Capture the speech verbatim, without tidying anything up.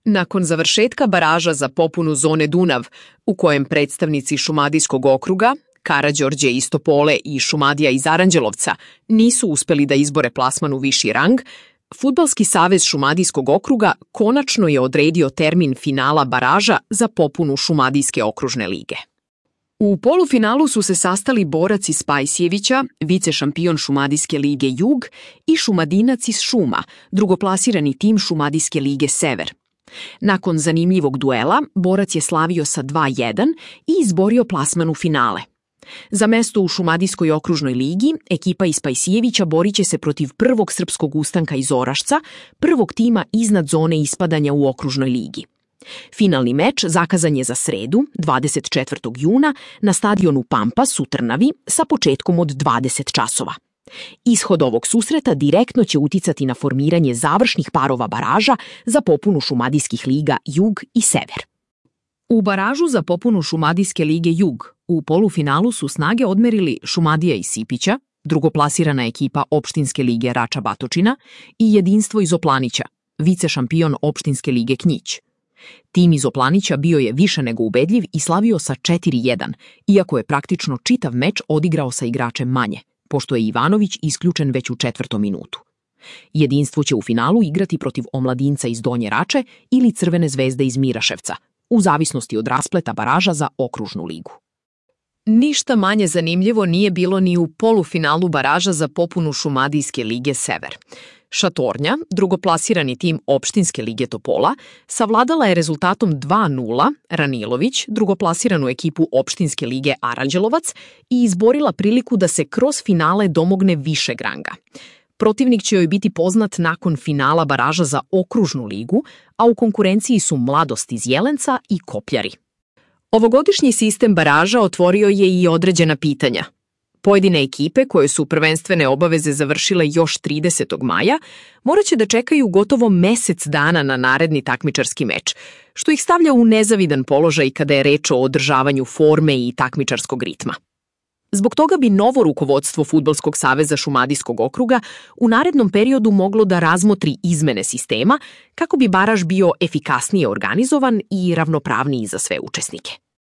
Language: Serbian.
Nakon završetka baraža za popunu zone Dunav, u kojem predstavnici Šumadijskog okruga, Karađorđe iz Topole i Šumadija iz Aranđelovca nisu uspeli da izbore plasman u viši rang, Fudbalski savez Šumadijskog okruga konačno je odredio termin finala baraža za popunu Šumadijske okružne lige. U polufinalu su se sastali borac iz Pajsjevića, vice šampion Šumadijske lige Jug, i Šumadinac iz Šuma, drugoplasirani tim Šumadijske lige Sever. Nakon zanimljivog duela, borac je slavio sa dva jedan i izborio plasman u finale. Za mesto u Šumadijskoj okružnoj ligi, ekipa iz Pajsijevića borit će se protiv prvog srpskog ustanka iz Orašca, prvog tima iznad zone ispadanja u okružnoj ligi. Finalni meč zakazan je za sredu, dvadeset četvrtog juna, na stadionu Pampas u Trnavi sa početkom od dvadeset časova. Ishod ovog susreta direktno će uticati na formiranje završnih parova baraža za popunu Šumadijskih liga Jug i Sever. U baražu za popunu Šumadijske lige Jug u polufinalu su snage odmerili Šumadija iz Sipića, drugoplasirana ekipa Opštinske lige Rača Batočina, i Jedinstvo iz Oplanića, vice šampion Opštinske lige Knjić. Tim iz Oplanića bio je više nego ubedljiv i slavio sa četiri jedan, iako je praktično čitav meč odigrao sa igračem manje, pošto je Ivanović isključen već u četvrtom minutu. Jedinstvo će u finalu igrati protiv Omladinca iz Donje Rače ili Crvene zvezde iz Miraševca, u zavisnosti od raspleta baraža za okružnu ligu. Ništa manje zanimljivo nije bilo ni u polufinalu baraža za popunu Šumadijske lige Sever. Šatornja, drugoplasirani tim Opštinske lige Topola, savladala je rezultatom dva nula Ranilović, drugoplasiranu ekipu Opštinske lige Aranđelovac, i izborila priliku da se kroz finale domogne višeg ranga. Protivnik će joj biti poznat nakon finala baraža za okružnu ligu, a u konkurenciji su Mladost iz Jelenca i Kopljari. Ovogodišnji sistem baraža otvorio je i određena pitanja. Pojedine ekipe, koje su prvenstvene obaveze završile još tridesetog maja, morat će da čekaju gotovo mesec dana na naredni takmičarski meč, što ih stavlja u nezavidan položaj kada je reč o održavanju forme i takmičarskog ritma. Zbog toga bi novo rukovodstvo Fudbalskog saveza Šumadijskog okruga u narednom periodu moglo da razmotri izmene sistema kako bi baraž bio efikasnije organizovan i ravnopravniji za sve učesnike.